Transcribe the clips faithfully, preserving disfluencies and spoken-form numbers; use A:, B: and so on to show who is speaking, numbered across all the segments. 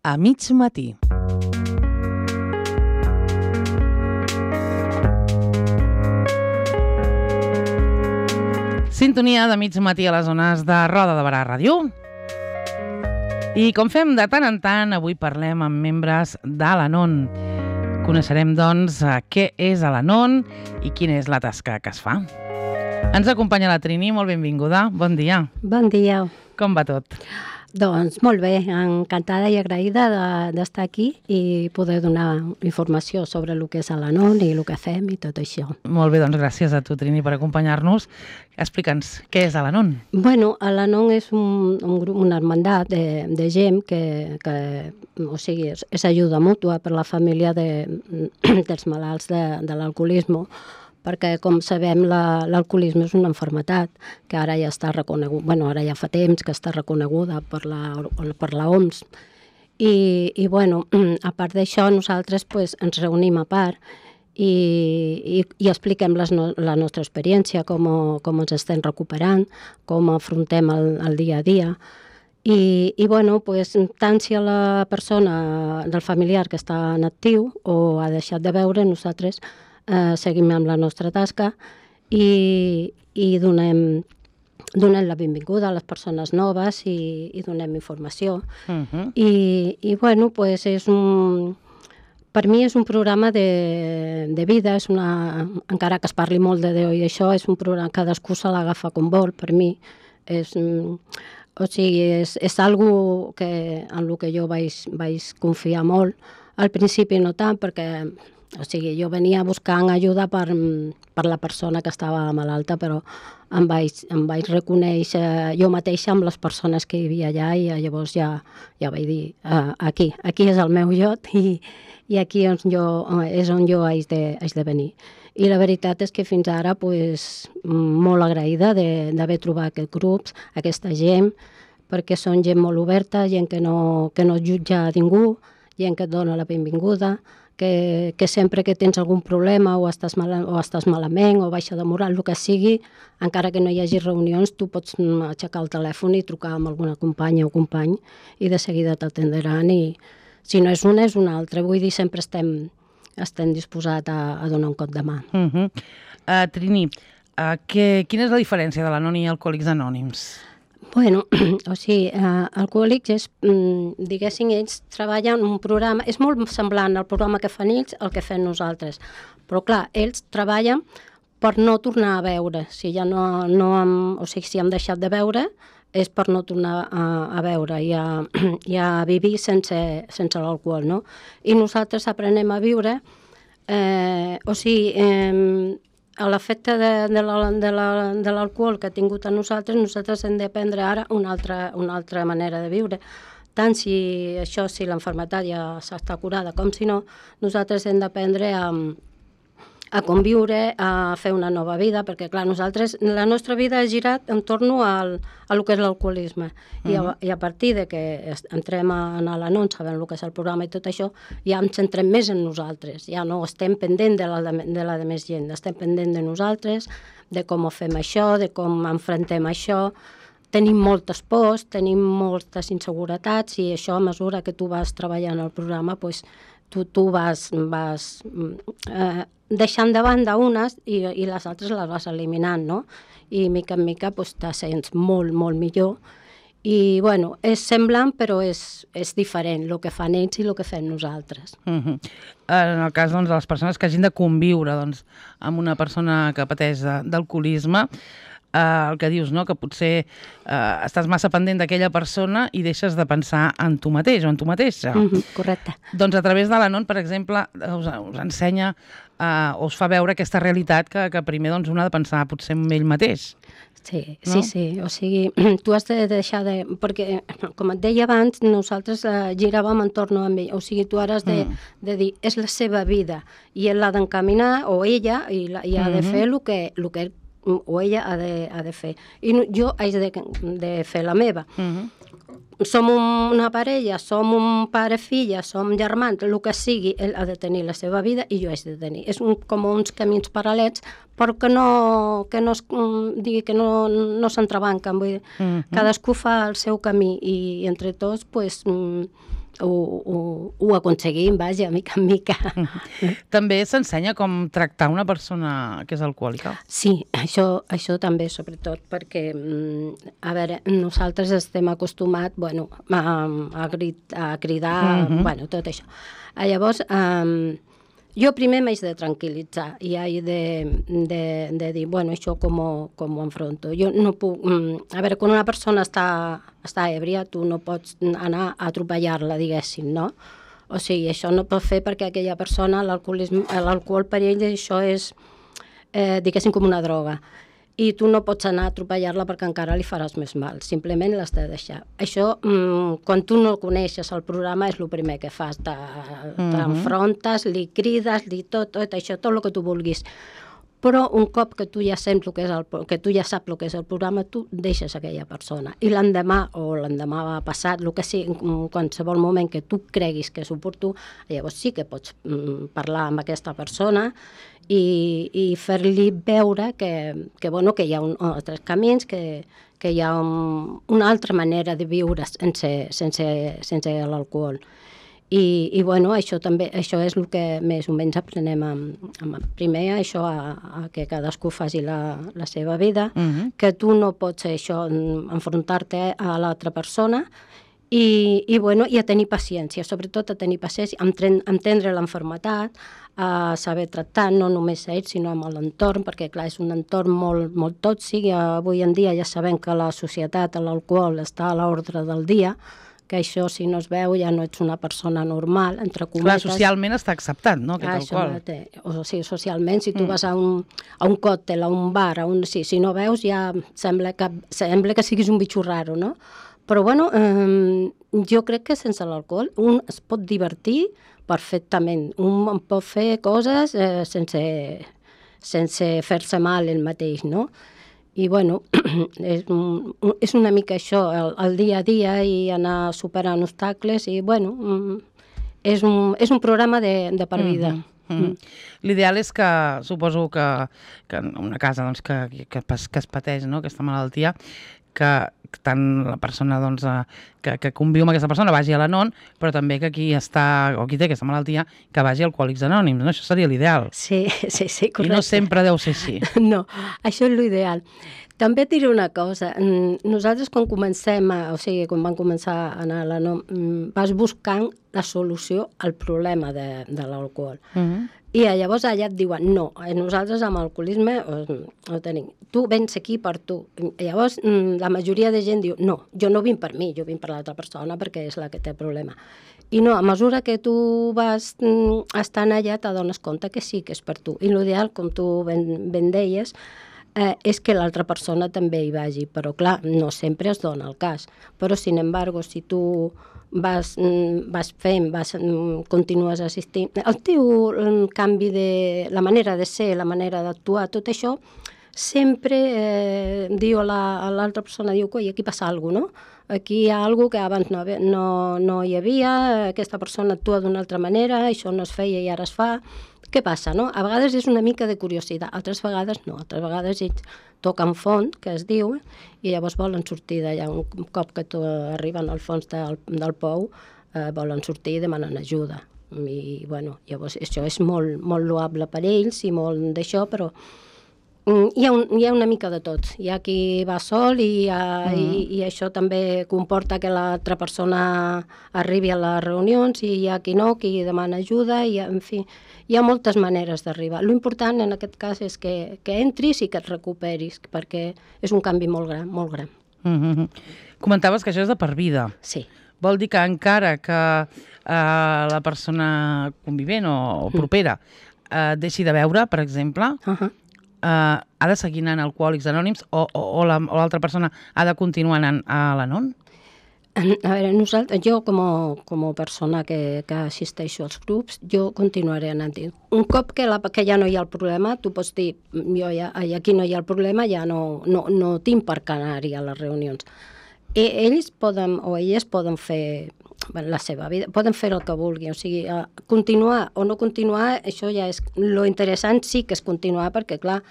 A: a mig matí. Sintonia de mig matí a les zones de Roda de Barà Ràdio. I com fem de tant en tant, avui parlem amb membres de l'Anon. Coneixerem, doncs, què és l'Anon i quina és la tasca que es fa. Ens acompanya la Trini, molt benvinguda. Bon dia.
B: Bon dia.
A: Com va tot?
B: Doncs molt bé, encantada i agraïda d'estar aquí i poder donar informació sobre el que és l'Anon i el que fem i tot això.
A: Molt bé, doncs gràcies a tu, Trini, per acompanyar-nos. Explica'ns, què és l'Anon?
B: Bueno, l'Anon és un, un grup, una hermandat de, de gent que, que o sigui, és, és ajuda mútua per la família de, dels malalts de, de l'alcoholisme, perquè, com sabem, l'alcoholisme és una malaltia que ara ja està reconeguda, bueno, ara ja fa temps que està reconeguda per la, per la O M S. I, i bueno, a part d'això, nosaltres pues, ens reunim a part i, i, i expliquem les no, la nostra experiència, com, com ens estem recuperant, com afrontem el, el dia a dia. I, i bueno, pues, tant si la persona del familiar que està en actiu o ha deixat de beure, nosaltres Eh, seguim amb la nostra tasca i, i donem, donem la benvinguda a les persones noves i, i donem informació. Uh-huh. I, i bueno, pues és un, per mi és un programa de, de vida, és una, encara que es parli molt de Déu i això, és un programa, cadascú se l'agafa com vol, per mi. És, o sigui, és, és algo que, en el que jo vaig, vaig confiar molt. Al principi no tant, perquè o sigui, jo venia buscant ajuda per, per la persona que estava malalta, però em vaig, em vaig reconèixer jo mateixa amb les persones que hi havia allà i llavors ja, ja vaig dir, uh, aquí, aquí és el meu lloc i, i aquí és, jo, és on jo haig de, haig de venir. I la veritat és que fins ara pues, molt agraïda d'haver trobat aquests grups, aquesta gent, perquè són gent molt oberta, gent que no, que no jutja a ningú, gent que et dona la benvinguda, Que, que sempre que tens algun problema o estàs, mal, o estàs malament o baixa de moral, el que sigui, encara que no hi hagi reunions, tu pots aixecar el telèfon i trucar amb alguna companya o company i de seguida t'atendran i si no és una, és una altra. Vull dir, sempre estem, estem disposats a, a donar un cop de mà.
A: Uh -huh. uh, Trini, uh, que, quina és la diferència de l'Anon i Alcohòlics Anònims?
B: Bueno, o sigui, eh, Alcohòlics és, diguéssim, ells treballen un programa, és molt semblant al programa que fan ells al que fem nosaltres, però clar, ells treballen per no tornar a beure, si ja no, no hem, o sigui, si hem deixat de beure és per no tornar a, a beure i a, i a viure sense, sense l'alcohol, no? I nosaltres aprenem a viure, eh, o sigui, eh, a l'efecte de, de l'alcohol la, que ha tingut a nosaltres, nosaltres hem d'aprendre ara una altra, una altra manera de viure. Tant si això, si l'enfermetat ja s'està curada com si no, nosaltres hem d'aprendre a, a conviure, a fer una nova vida, perquè clar, nosaltres, la nostra vida ha girat en torno al, a lo que és l'alcoholisme. Uh-huh. I, a, I a partir de que entrem a, a l'Anon, sabem el que és el programa i tot això, ja ens centrem més en nosaltres, ja no estem pendent de la de, de la de més gent, estem pendent de nosaltres, de com ho fem això, de com enfrontem això. Tenim moltes pors, tenim moltes inseguretats i això a mesura que tu vas treballant el programa, pues, tu, tu vas, vas eh, deixant de banda unes i, i les altres les vas eliminant, no? I mica en mica pues, te sents molt, molt millor. I, bueno, és semblant, però és, és diferent el que fan ells i el que fem nosaltres.
A: Uh-huh. En el cas doncs, de les persones que hagin de conviure doncs, amb una persona que pateix d'alcoholisme, Uh, el que dius, no? Que potser uh, estàs massa pendent d'aquella persona i deixes de pensar en tu mateix o en tu mateixa.
B: Mm-hmm, correcte.
A: Doncs a través de l'Anon, per exemple, us, us ensenya uh, o us fa veure aquesta realitat que, que primer doncs, un ha de pensar potser en ell mateix.
B: Sí,
A: no?
B: sí, sí. O sigui, tu has de deixar de... Perquè, com et deia abans, nosaltres uh, giràvem en torno a ell. O sigui, tu ara has de, mm. de dir, és la seva vida i ell l'ha d'encaminar, o ella, i, la, i ha de mm-hmm. fer el que, el que o ella ha de, ha de fer. I no, jo haig de, de fer la meva. Uh-huh. Som una parella, som un pare-filla, som germans, el que sigui, ell ha de tenir la seva vida i jo haig de tenir. És un, com uns camins paral·lels, però que no, que no, es, digui, que no, no s'entrebanquen. Vull dir, uh-huh. Cadascú fa el seu camí i, i entre tots pues, ho, ho, ho aconseguim, vaja, mica en mica.
A: També s'ensenya com tractar una persona que és alcohòlica?
B: Sí, això, això també, sobretot, perquè, a veure, nosaltres estem acostumats, bueno, a, a, grit, a cridar, uh-huh. bueno, tot això. Llavors, um, jo primer m'haig de tranquil·litzar i haig de, de, de dir, bueno, això com ho, com ho enfronto. Jo no puc... A veure, quan una persona està, està èbria, tu no pots anar a atropellar-la, diguéssim, no? O sigui, això no pot fer perquè aquella persona, l'alcohol per ell, això és, eh, diguéssim, com una droga. I tu no pots anar a atropellar-la perquè encara li faràs més mal. Simplement l'has de deixar. Això, mmm, quan tu no coneixes el programa, és el primer que fas. T'enfrontes, li crides, li tot, tot això, tot el que tu vulguis. Però un cop que tu ja saps el que és el, que tu ja saps el que és el programa, tu deixes aquella persona. I l'endemà, o l'endemà va passat, el que sigui, en qualsevol moment que tu creguis que és oportú, llavors sí que pots mm, parlar amb aquesta persona i, i fer-li veure que, que, bueno, que hi ha un, altres camins, que, que hi ha un, una altra manera de viure sense, sense, sense l'alcohol. I, i bueno, això també, això és el que més o menys aprenem amb, amb primer això a, a que cadascú faci la, la seva vida, uh-huh. que tu no pots això, enfrontar-te a l'altra persona i, i, bueno, i a tenir paciència, sobretot a tenir paciència, a entendre l'enfermetat, a saber tractar no només a ell, sinó amb l'entorn, perquè clar, és un entorn molt, molt tòxic, avui en dia ja sabem que la societat, l'alcohol està a l'ordre del dia, que això, si no es veu, ja no ets una persona normal, entre cometes.
A: Clar, socialment està acceptat, no?, aquest
B: alcohol. Té, o sigui, socialment, si tu mm. vas a un, a un còctel, a un bar, a un, sí, si no veus, ja sembla que, sembla que siguis un bitxo raro, no? Però, bueno, eh, jo crec que sense l'alcohol un es pot divertir perfectament. Un pot fer coses eh, sense, sense fer-se mal el mateix, no? I, bueno, és, és una mica això, el, el dia a dia i anar superant obstacles i, bueno, és un, és un programa de, de per vida. Mm-hmm. Mm-hmm.
A: L'ideal és que, suposo que, que en una casa doncs, que, que, que es pateix, no?, aquesta malaltia, que tant la persona doncs, que, que conviu amb aquesta persona vagi a l'Anon, però també que qui està o qui té aquesta malaltia que vagi a Alcohòlics Anònims, no? Això seria l'ideal.
B: Sí, sí, sí, correcte.
A: I no sempre deu ser així.
B: No, això és l'ideal. També et diré una cosa, nosaltres quan comencem, a, o sigui, quan vam començar a anar a l'Anon, vas buscant la solució al problema de, de l'alcohol. Uh-huh. I llavors allà et diuen, no, nosaltres amb l'alcoholisme ho tenim. Tu vens aquí per tu. I llavors la majoria de gent diu, no, jo no vinc per mi, jo vinc per l'altra persona perquè és la que té el problema. I no, a mesura que tu vas estant allà t'adones compte que sí, que és per tu. I l'ideal, com tu ben, ben deies, eh, és que l'altra persona també hi vagi. Però clar, no sempre es dona el cas. Però, sin embargo, si tu vas, vas fent, vas, continues assistint. El teu canvi de la manera de ser, la manera d'actuar, tot això, sempre eh, diu a l'altra persona, diu, coi, aquí passa alguna cosa, no? Aquí hi ha alguna cosa que abans no, no, no hi havia, aquesta persona actua d'una altra manera, això no es feia i ara es fa. Què passa, no? A vegades és una mica de curiositat, altres vegades no, altres vegades ells toquen fons, que es diu, i llavors volen sortir d'allà. Un cop que arriben al fons del, del pou, eh, volen sortir i demanen ajuda. I, bueno, llavors això és molt, molt loable per ells i molt d'això, però mm, hi, ha un, hi ha una mica de tot. Hi ha qui va sol i, uh, mm. i, i això també comporta que l'altra persona arribi a les reunions i hi ha qui no, qui demana ajuda, i en fi, hi ha moltes maneres d'arribar. L'important en aquest cas és que, que entris i que et recuperis, perquè és un canvi molt gran, molt gran.
A: Mm-hmm. Comentaves que això és de per vida.
B: Sí.
A: Vol dir que encara que eh, la persona convivent o, o propera eh, deixi de beure, per exemple, uh-huh. eh, ha de seguir anant a Alcohòlics Anònims o, o, o l'altra persona ha de continuar anant a l'Anon?
B: A veure, nosaltres, jo com a, com a persona que, que assisteixo als grups, jo continuaré anant. Un cop que, la, que ja no hi ha el problema, tu pots dir, jo ja, aquí no hi ha el problema, ja no, no, no tinc per què anar-hi a les reunions. I ells poden, o elles poden fer la seva vida, poden fer el que vulguin, o sigui, continuar o no continuar, això ja és, lo interessant sí que és continuar, perquè clar,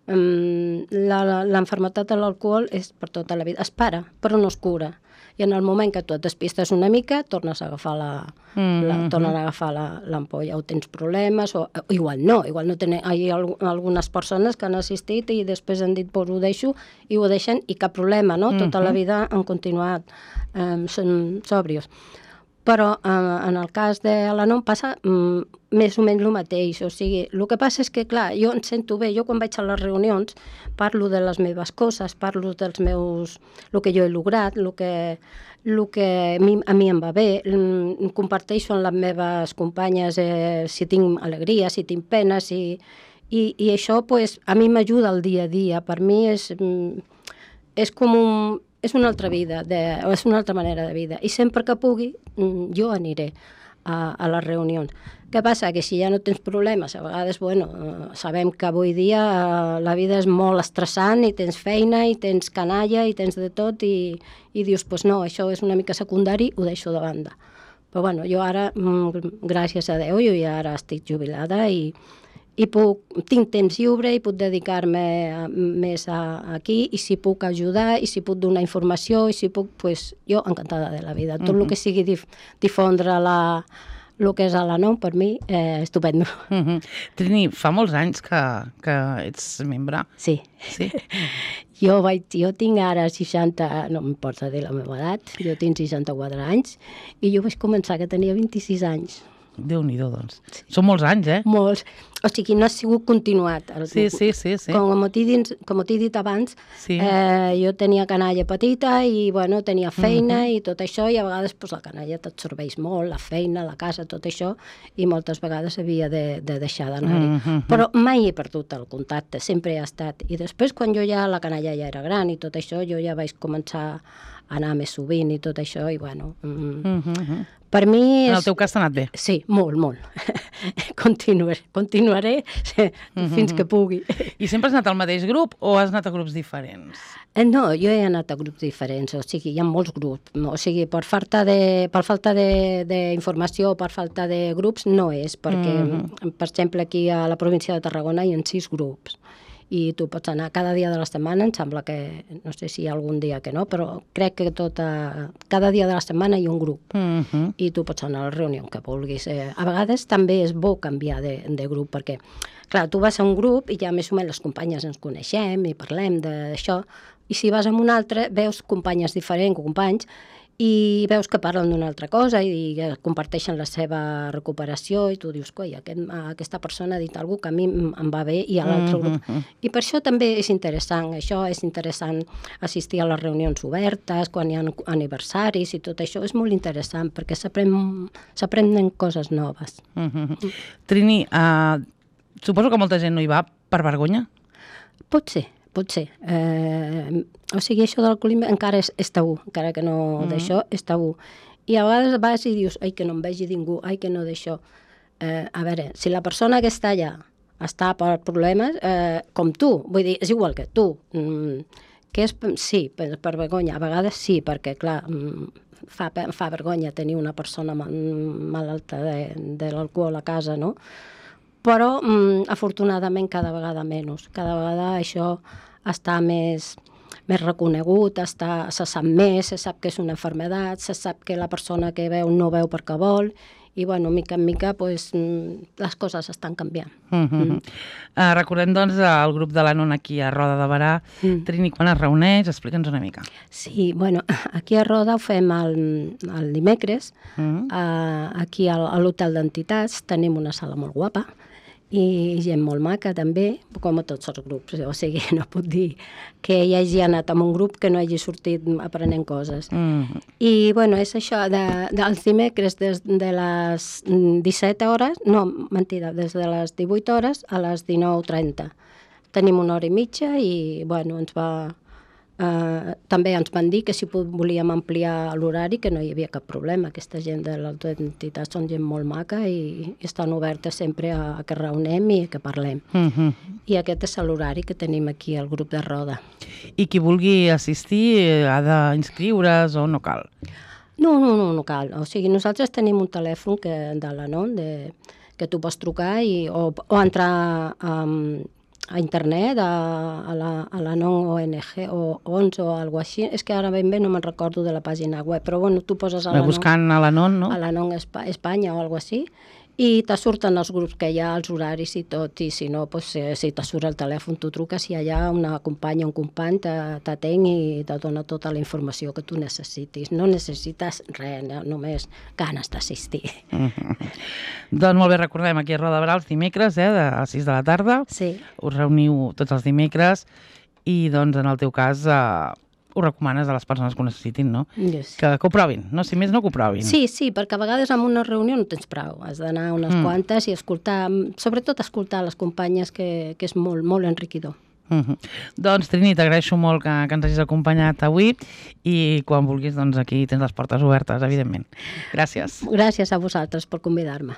B: l'enfermetat de l'alcohol és per tota la vida, es para, però no es cura. I en el moment que tu et despistes una mica, tornes a agafar la,
A: Mm-hmm.
B: la, tornen a agafar la- l'ampolla, o tens problemes, o, o igual no, igual no tenen, hi ha al- algunes persones que han assistit i després han dit, pues ho deixo, i ho deixen, i cap problema, no? Tota la vida han continuat, eh, són sòbrios. Però eh, en el cas de l'Anon passa mm, més o menys el mateix. O sigui, el que passa és que, clar, jo em sento bé. Jo quan vaig a les reunions parlo de les meves coses, parlo dels meus... el que jo he lograt, el que, el que a, mi, a mi em va bé, mm, comparteixo amb les meves companyes eh, si tinc alegria, si tinc pena, si... I, i això pues, a mi m'ajuda al dia a dia. Per mi és, mm, és com un... és una altra vida, de, és una altra manera de vida. I sempre que pugui, mm, jo aniré a, a les reunions. Què passa? Que si ja no tens problemes, a vegades, bueno, eh, sabem que avui dia eh, la vida és molt estressant i tens feina i tens canalla i tens de tot i, i dius, pues no, això és una mica secundari, ho deixo de banda. Però bueno, jo ara, mm, gràcies a Déu, jo ja ara estic jubilada i i puc, tinc temps lliure i puc dedicar-me a- més a, aquí i si puc ajudar i si puc donar informació i si puc, pues, jo encantada de la vida. Tot el que sigui dif difondre la, el que és a l'Anon, per mi, eh, estupendo.
A: Mm-hmm. Trini, fa molts anys que, que ets membre.
B: Sí.
A: Sí?
B: Jo, vaig, jo tinc ara seixanta, no m'importa dir la meva edat, jo tinc seixanta-quatre anys i jo vaig començar que tenia vint-i-sis anys.
A: Déu-n'hi-do, doncs. Són molts anys, eh?
B: Molts. O sigui, no ha sigut continuat. El,
A: Sí, sí, sí, sí.
B: Com t'he dit, com t'he dit abans,
A: Sí.
B: eh, jo tenia canalla petita i bueno, tenia feina i tot això, i a vegades pues, la canalla t'absorbeix molt, la feina, la casa, tot això, i moltes vegades havia de, de deixar d'anar-hi.
A: Mhm.
B: Però mai he perdut el contacte, sempre he estat. I després, quan jo ja, la canalla ja era gran i tot això, jo ja vaig començar a anar més sovint i tot això, i bueno... Mm,
A: Mm-hmm.
B: per mi
A: En
B: és...
A: el teu cas t'ha anat bé.
B: Sí, molt, molt. Continuaré, continuaré fins que pugui.
A: I sempre has anat al mateix grup o has anat a grups diferents?
B: Eh, No, jo he anat a grups diferents, o sigui, hi ha molts grups. O sigui, per falta de, per falta de, d'informació o per falta de grups no és, perquè, mm-hmm. per exemple, aquí a la província de Tarragona hi ha sis grups. I tu pots anar cada dia de la setmana, em sembla que, no sé si hi ha algun dia que no, però crec que tota, cada dia de la setmana hi ha un grup.
A: Mm-hmm.
B: I tu pots anar a la reunió que vulguis. Eh, a vegades també és bo canviar de, de grup, perquè, clar, tu vas a un grup i ja més o menys les companyes ens coneixem i parlem d'això, i si vas a un altre veus companyes diferents, companys, i veus que parlen d'una altra cosa i comparteixen la seva recuperació i tu dius, coi, aquest, aquesta persona ha dit alguna que a mi em va bé i a l'altre grup. I per això també és interessant, això és interessant assistir a les reunions obertes, quan hi ha aniversaris i tot això, és molt interessant perquè s'aprenen coses noves.
A: Mm-hmm. Trini, uh, suposo que molta gent no hi va per vergonya?
B: Pot ser, pot ser. Eh, o sigui, això de l'alcoholisme encara és, és tabú, encara que no mm. d'això, és tabú. I a vegades vas i dius, ai, que no em vegi ningú, ai, que no d'això. Eh, a veure, si la persona que està allà està per problemes, eh, com tu, vull dir, és igual que tu, mm, que és, sí, per, per vergonya, a vegades sí, perquè, clar, mm, fa, fa vergonya tenir una persona mal, malalta de, de l'alcohol a casa, no? Però, mm, afortunadament, cada vegada menys. Cada vegada això està més, més reconegut, està, se sap més, se sap que és una malaltia, se sap que la persona que veu no veu perquè vol, i, bueno, mica en mica, pues, les coses estan canviant.
A: Mm-hmm. Mm. Uh, recordem, doncs, el grup de l'Anon aquí a Roda de Berà. Mm. Trini, quan es reuneix? Explica'ns una mica.
B: Sí, bueno, aquí a Roda ho fem el, el dimecres, mm. uh, aquí a, a l'Hotel d'Entitats tenim una sala molt guapa, i gent molt maca també, com a tots els grups, o sigui, no puc dir que hi hagi anat amb un grup que no hagi sortit aprenent coses. Mm. I, bueno, és això, de, dels dimecres des de les disset hores, no, mentida, des de les divuit hores a les dinou trenta. Tenim una hora i mitja i, bueno, ens va... Uh, també ens van dir que si volíem ampliar l'horari que no hi havia cap problema. Aquesta gent de l'autoentitat són gent molt maca i, i estan obertes sempre a, a que reunem i a que parlem. Mm-hmm. I aquest és l'horari que tenim aquí al grup de Roda.
A: I qui vulgui assistir ha d'inscriure's o no cal?
B: No, no, no, no cal. O sigui, nosaltres tenim un telèfon que, de l'Anon de, que tu pots trucar i, o, o entrar um, a internet, a, a la, a la non O N G o O N S o alguna cosa així. És que ara ben bé no me'n recordo de la pàgina web, però bueno, tu poses a la
A: Buscant a la non, no?
B: a la non Espa Espanya o alguna cosa així, i te surten els grups que hi ha, els horaris i tot, i si no, pues, eh, si te surt el telèfon, tu truques i allà una companya o un company t'atén i te dona tota la informació que tu necessitis. No necessites res, no, només ganes d'assistir.
A: Mm-hmm. Doncs molt bé, recordem, aquí a Roda de Barà els dimecres, eh, a les sis de la tarda.
B: Sí.
A: Us reuniu tots els dimecres i, doncs, en el teu cas, eh, ho recomanes a les persones que ho necessitin, no?
B: Yes.
A: Que, que ho provin, no? Si més no, que ho provin.
B: Sí, sí, perquè a vegades en una reunió no tens prou. Has d'anar unes mm. quantes i escoltar, sobretot escoltar les companyes, que, que és molt, molt enriquidor.
A: Mm-hmm. Doncs, Trini, t'agraeixo molt que, que ens hagis acompanyat avui i quan vulguis, doncs, aquí tens les portes obertes, evidentment. Gràcies.
B: Gràcies a vosaltres per convidar-me.